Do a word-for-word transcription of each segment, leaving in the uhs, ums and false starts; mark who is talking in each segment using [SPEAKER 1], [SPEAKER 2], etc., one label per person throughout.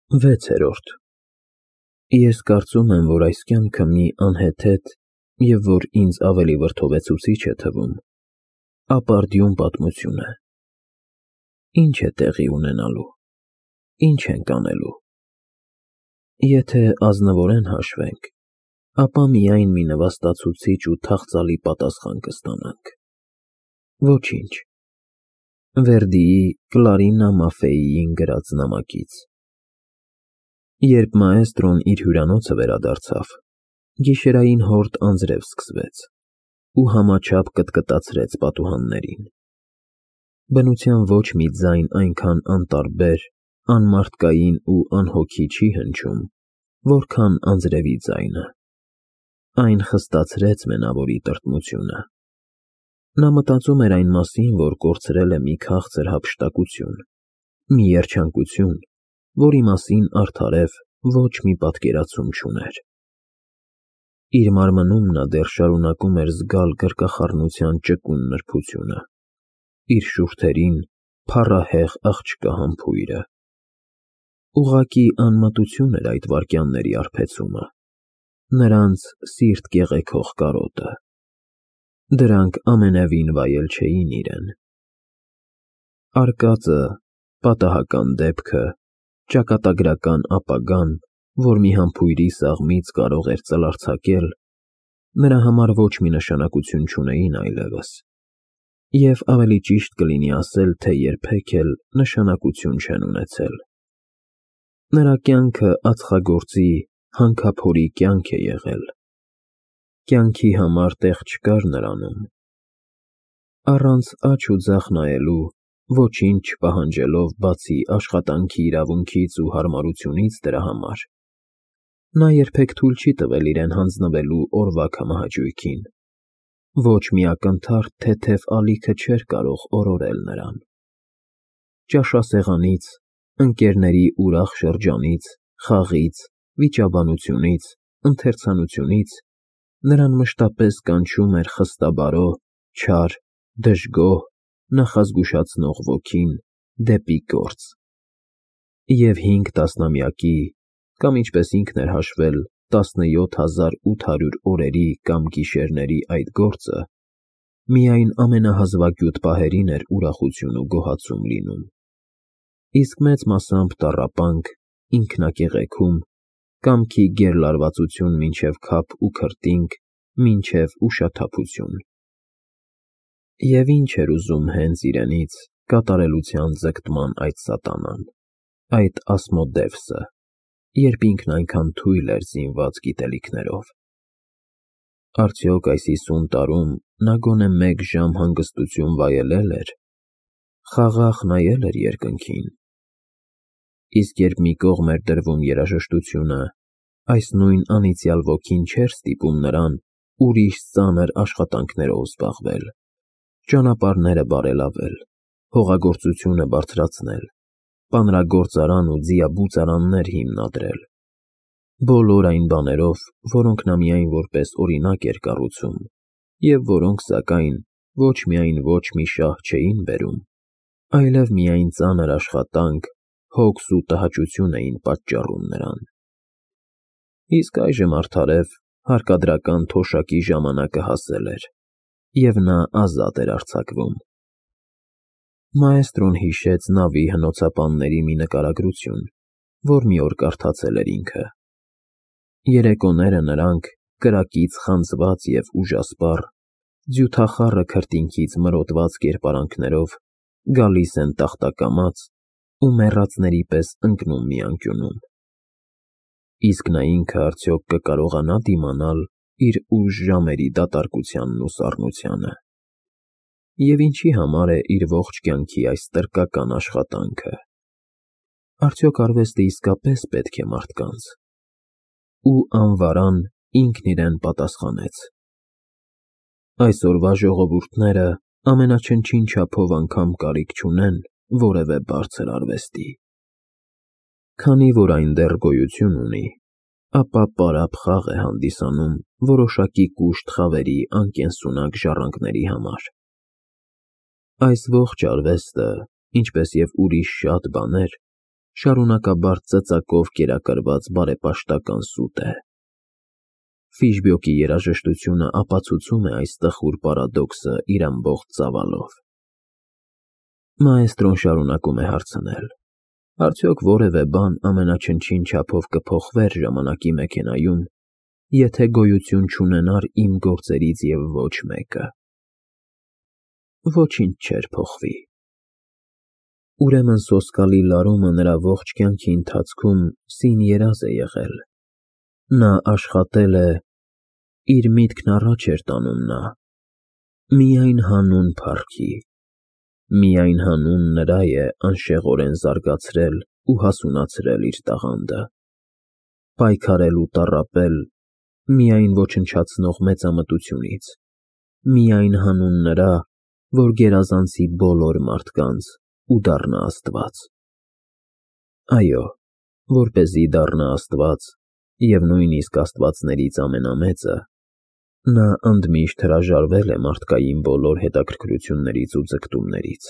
[SPEAKER 1] Վեցերորդ Ես կարծում եմ, որ այս կյանքը մի անհեթեթ և որ ինձ ավելի վրդովեցուցիչ է թվում, ապարդյուն պատմություն է։ Ինչ է տեղի ունենալու, ինչ ենք անելու։ Եթե ազնվորեն հաշվենք, ապա միայն մի նվաստացուցիչ ու թախծալի պատասխան կստանանք. ոչինչ։ Վերդիի Կլարինա Մաֆեիին գրած նամակից։ Երբ մաեստրոն իր հյուրանոցը վերադարձավ, գիշերային հորդ անձրև սկսվեց ու համաչափ կտկտացրեց պատուհաններին։ Բնության ոչ մի ձայն այնքան անտարբեր, անմարդկային ու անհոգի չի հնչում, որքան անձրևի ձայնը։ Այն խստացրեց մենավորի տրտմությունը։ Նա մտածում էր այն մասին, որ կորցրել է մի քաղցր հափշտակություն, մի երջանկություն, որի մասին արդարև ոչ մի պատկերացում չուներ։ Իր մարմնում նա դեռ շարունակում էր զգալ գրկախառնության ճկուն նրբությունը, իր շուրթերին փառահեղ աղջկա համբույրը։ Ուղղակի անմտություն էր այդ վայրկյանների արբեցումը, նրանց սիրտ կեղեքող կարոտը։ Դրանք ամենևին վայել չէին իրեն։ Արկածը, պատահական դեպքը, ճակատագրական ապագան, որ մի համբույրի սաղմից կարող էր ծլարձակել, նրա համար ոչ մի նշանակություն չունեին այլևս, և ավելի ճիշտ կլինի ասել, թե երբեք էլ նշանակություն չեն ունեցել։ Նրա կյանքը ածխագործի, հանքափորի կյանք է եղել։ Կյանքի համար տեղ չկար նրանում։ Առանց աջ ու ձախ նայելու, ոչինչ չպահանջելով բացի աշխատանքի իրավունքից ու հարմարությունից դրա համար, նա երբեք թույլ չի տվել իրեն հանձնվելու օրվա քամահաճույքին։ Ոչ մի ակնթարթ թեթև ալիքը չէր կարող օրորել նրան։ Ճաշասեղանից, ընկերների ուրախ շրջանից, խաղից, վիճաբանությունից, ընթերցանությունից նրան մշտապես կանչում էր խստաբարո, չար, դժգոհ, նախազգուշացնող ոգին դեպի գործ։ Եվ հինգ տասնամյակի, կամ ինչպես ինքն էր հաշվել, տասնյոթ հազար ութ հարյուր օրերի կամ գիշերների այդ գործը միայն ամենահազվագյուտ պահերին էր ուրախություն ու գոհացում լինում, իսկ մեծ մասամբ տառապանք, ինքնակեղեքում, կամքի գերլարվածություն մինչև քափ ու քրտինք, մինչև ուշաթափություն։ Եվ ինչ էր ուզում հենց իրենից կատարելության ձգտման այդ սատանան, այդ Ասմոդևսը, երբ ինքն այնքան թույլ էր զինված գիտելիքներով։ Արդյոք այս հիսուն տարում նա գոնե մեկ ժամ հանգստություն վայելե՞լ էր, խաղաղ նայե՞լ էր երկնքին։ Իսկ երբ մի կողմ էր դրվում երաժշտությունը, այս նույն անիծյալ ոգին չէր ստիպում նրան ուրիշ ծանր աշխատանքներով զբաղվել, ճանապարհները բարելավել, հողագործությունը բարձրացնել, պանրագործարան ու ձիաբուծարաններ հիմնադրել, բոլոր այն բաներով, որոնք նա միայն որպես օրինակ էր կառուցում, և որոնք, սակայն, ոչ միայն ոչ մի շահ չէին բերում, այլև միայն ծանր աշխատանք, հոգս ու տհաճություն էին պատճառում նրան։ Իսկ այժմ արդարև հարկադրական թոշակի ժամանակը հասել էր, և նա ազատ էր արձակվում։ Մաեստրոն հիշեց նավի հնոցապանների մի նկարագրություն, որ մի օր կարդացել էր ինքը։ Երեկոները նրանք, կրակից խանձված և ուժասպառ, ձյութախառը քրտինքից մրոտված կերպարանքներով գալիս են տախտակամաց ու մեռածների պես ընկնում մի անկյունում։ Իսկ նա ինքը արդյոք կկարողանա դիմանալ իր ուժ ժամերի դատարկությանն ու սառնությանը։ Եվ ինչի համար է իր ողջ կյանքի այս տրկական աշխատանքը։ Արդյոք արվեստը իսկապես պետք է մարդկանց։ Ու անվարան ինքն իրեն պատասխանեց. այսօրվա ժողովուրդները ամենաչնչին չափով անգամ կարիք չունեն որևէ բարձր արվեստի։ Քանի որ այն դեռ գոյություն ունի, ապա պարապ խաղ է հանդիսանում որոշակի կուշտ խավերի անկենսունակ ժառանգների համար։ Այս ողջ արվեստը, ինչպես և ուրիշ շատ բաներ, շարունակաբար ծծակով կերակրված բարեպաշտական սուտ է։ Ֆիշբյոկի երաժշտությունը ապացուցում է այս տխուր պարադոքսը իր ամբողջ ծավալով։ Մաեստրոն շարունակում է հարցնել. Արդյոք որևէ բան ամենաչնչին չափով կփոխվեր ժամանակի մեքենայում, եթե գոյություն չունենար իմ գործերից և ոչ մեկը։ Ոչինչ չէր փոխվի։ Ուրեմն սոսկալի լարումը նրա ողջ կյանքի ընթացքում սին երազ է եղել։ Նա աշխատել է, իր միտքն առաջ էր տանում նա, միայն հանուն փառքի, միայն հանուն նրա է անշեղորեն զարգացրել ու հասունացրել իր տաղանդը, պայքարել ու տառապել միայն ոչնչացնող մեծամտությունից, միայն հանուն նրա, որ գերազանցի բոլոր մարդկանց ու դառնա Աստված։ Այո, որպեսզի դառնա Աստված և նույնիսկ աստվածներից ամենամեծը, նա ընդմիշտ հրաժարվել է մարդկային բոլոր հետաքրքրություններից ու ձգտումներից,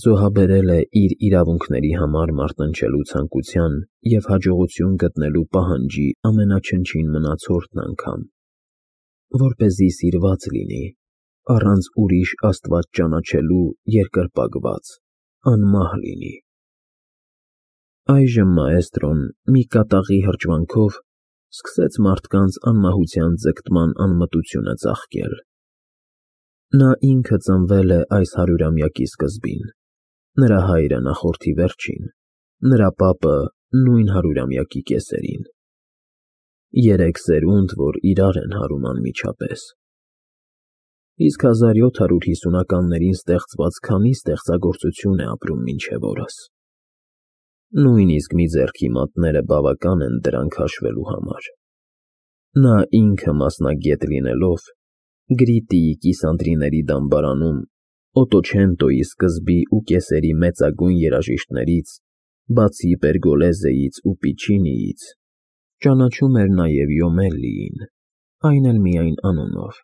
[SPEAKER 1] զոհաբերել է իր իրավունքների համար մարտնչելու ցանկության և հաջողություն գտնելու պահանջի ամենաչնչին մնացորդն անգամ, որպեսզի սիրված լինի, առանց ուրիշ աստված ճանաչելու երկրպագված, անմահ լինի։ Այժմ մաեստրոն մի կատաղի հրճվանքով սկսեց մարդկանց անմահության ձգտման անմտությունը ծաղկել։ Նա ինքը ծնվել է այս հարյուրամյակի սկզբին, նրա հայրը նախորդի վերջին, նրա պապը նույն հարյուրամյակի կեսերին։ Երեք սերունդ, որ իրար են հարում անմիջապես։ Իսկ հազար յոթ հարյուր հիսունականներին ստեղծված քանի ստեղծագործություն է ապրում մինչև օրս։ Նույնիսկ մի ձեռքի մատները բավական են դրանք հաշվելու համար։ Նա ինքը մասնագետ լինելով, Գրիտիի կիսանդրիների դամբարանում Օտոչենտոյի սկզբի ու կեսերի մեծագույն երաժիշտներից, բացի Պերգոլեզեից ու Պիչինիից, ճանաչում էր նաև Յոմելլիին, այն էլ միայն անունով։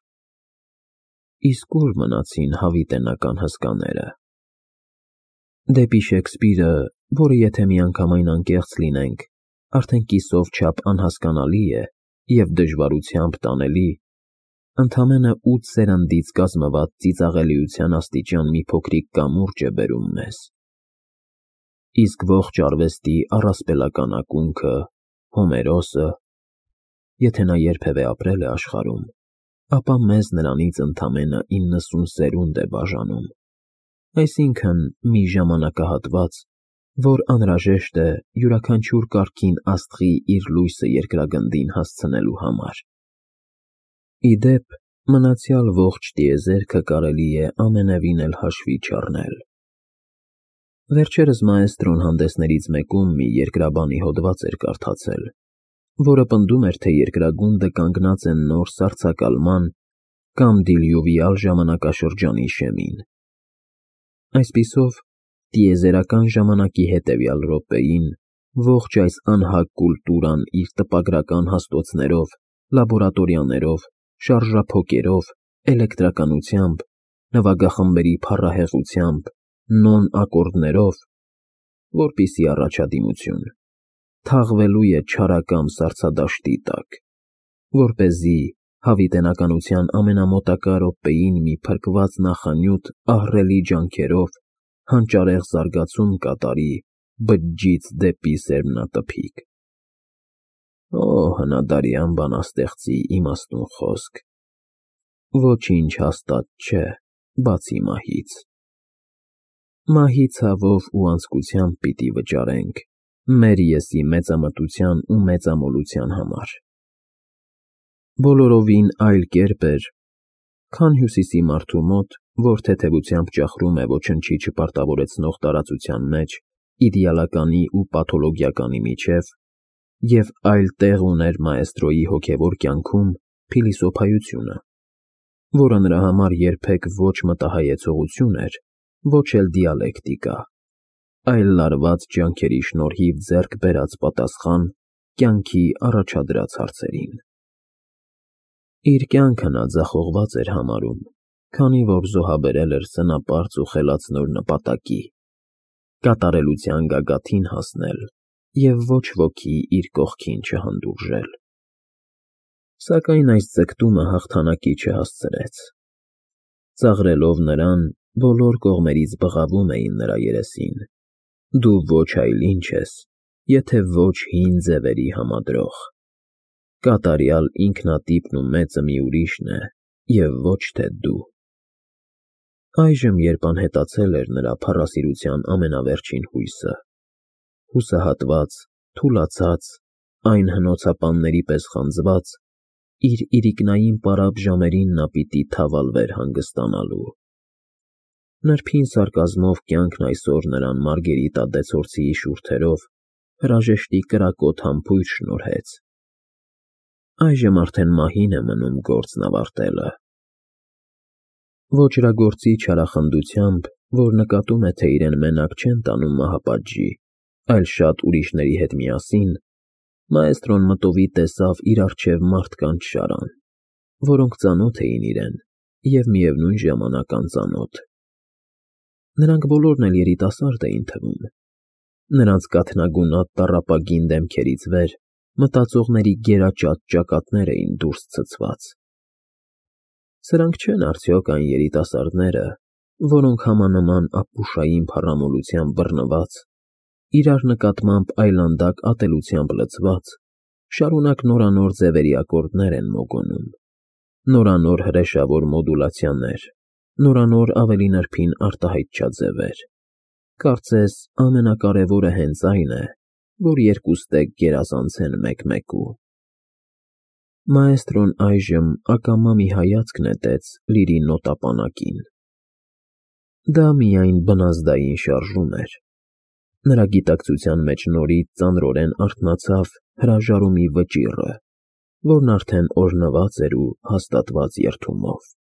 [SPEAKER 1] Իսկ ուր մնացին հավիտենական հսկաները։ Դեպի Շեքսպիրը, որը եթե միանգամայն անկեղծ լինենք, արդեն կիսով չափ անհասկանալի է և դժվարությամբ տանելի, ընդամենը ութ սերնդից կազմված ծիծաղելիության աստիճան մի փոքրիկ կամուրջ է բերում մեզ։ Իսկ ողջ արվեստի առասպելական ակունքը՝ Հոմերոսը, եթե նա երբևէ ապրել է աշխարհում, ապա մեզ նրանից ընդամենը իննսուն սերունդ է բաժանում, այսինքն՝ մի ժամանակահատված, որ անհրաժեշտ է յուրաքանչյուր կարգին աստղի իր լույսը երկրագնդին հասցնելու համար։ Ի դեպ, մնացյալ ողջ տիեզերքը կարելի է ամենևին էլ հաշվի չառնել։ Վերջերս մաեստրոն հանդեսներից մեկում մի երկրաբանի հոդված էր կարդացել, որը պնդում էր, թե երկրագունդը կանգնած է նոր սառցակալման կամ դիլյուվիալ ժամանակաշրջանի շեմին։ Այսպիսով, տիեզերական ժամանակի հետևյալ րոպեին ողջ այս անհակ կուլտուրան իր տպագրական հաստոցներով, լաբորատորիաներով, շարժափոկերով, էլեկտրականությամբ, նվագախմբերի փառահեղությամբ, նոն ակորդներով, որպիսի առաջադիմություն, թաղվելու է չարակամ սառցադաշտի տակ, որպեսզի հավիտենականության ամենամոտակա րոպեին մի փրկված նախանյութ ահռելի ջանքերով հանճարեղ զարգացում կատարի բջջից դեպի սերմնատփիկ։ Օ, հնադարյան բանաստեղծի իմաստուն խոսք։ Ոչինչ հաստատ չէ, բացի մահից։ Մահի ցավով ու անձկությամբ պիտի վճարենք մեր եսի մեծամտության ու մեծամոլության համար։ Բոլորովին այլ կերպ էր, քան հյուսիսի մարդու մոտ, որ թեթևությամբ ճախրում է ոչնչի չպարտավորեցնող տարածության մեջ իդեալականի ու պաթոլոգիականի միջև, և այլ տեղ ուներ մաեստրոյի հոգևոր կյանքում փիլիսոփայությունը, որը նրա համար երբեք ոչ մտահայեցողություն էր, ոչ էլ դիալեկտիկա, այլ լարված ջանքերի շնորհիվ ձեռք բերած պատասխան կյանքի առաջադրած հարցերին։ Իր կյանքը նա ձախողված էր համարում, քանի որ զոհաբերել էր սնապարծ ու խելացնոր նպատակի, կատարելության գագաթին հասնել և ոչ ոքի իր կողքին չհանդուրժել։ Սակայն այս ձգտումը հաղթանակի չհասցրեց։ Ծաղրելով նրան, բոլոր կողմերից բղավում էին նրա երեսին. «Դու ոչ այլ ինչ ես, եթե ոչ հին ձևերի համադրող, կատարյալ ինքնատիպն ու մեծը մի ուրիշն է, և ոչ թե դու»։ Այժմ, երբ անհետացել էր նրա փառասիրության ամենավերջին հույսը, հուսահատված, թուլացած, այն հնոցապանների պես խանձված, իր իրիկնային պարապ ժամերին նա պիտի թավալվեր հանգստանալու։ Նրբին սարկազմով կյանքն այսօր նրան Մարգերիտա դեցորցիի շուրթերով հրաժեշտի կրակոտ համբույր շնորհեց։ Այժմ արդեն մահին է մնում գործն ավարտելը։ Ոճրագործի չարախնդությամբ, որ նկատում է, թե իրեն մենակ չեն տանում մահապատժի, այլ շատ ուրիշների հետ միասին, մաէստրոն մտովի տեսավ իր առջև մարդկանց շարան, որոնք ծանոթ էին իրեն և միևնույն ժամանակ անծանոթ։ Նրանք բոլորն էլ երիտասարդ էին թվում, նրանց կաթնագունատ տառապագին դեմքերից վեր մտածողների գերաճատ ճակատներ էին դուրս ցցված։ Սրանք չե՞ն արդյոք այն երիտասարդները, որոնք համանման ապուշային փառամոլությամբ բռնված, իրար նկատմամբ այլանդակ ատելությամբ լցված, շարունակ նորանոր ձևերի ակորդներ են մոգոնում, նորանոր հրեշավոր մոդուլացիաներ, նորանոր ավելի նրբին արտահայտչաձևեր։ Կարծես ամենակարևորը հենց այն է, որ երկուստեք գերազանցեն մեկ֊մեկու։ Մաէստրոն այժմ ակամա մի հայացք նետեց լիրի նոտապանակին։ Դա միայն բնազդային շարժում էր։ Նրա գիտակցության մեջ նորից ծանրորեն արթնացավ հրաժարումի վճիռը, որն արդեն օրհնված էր ու հաստատված երդումով։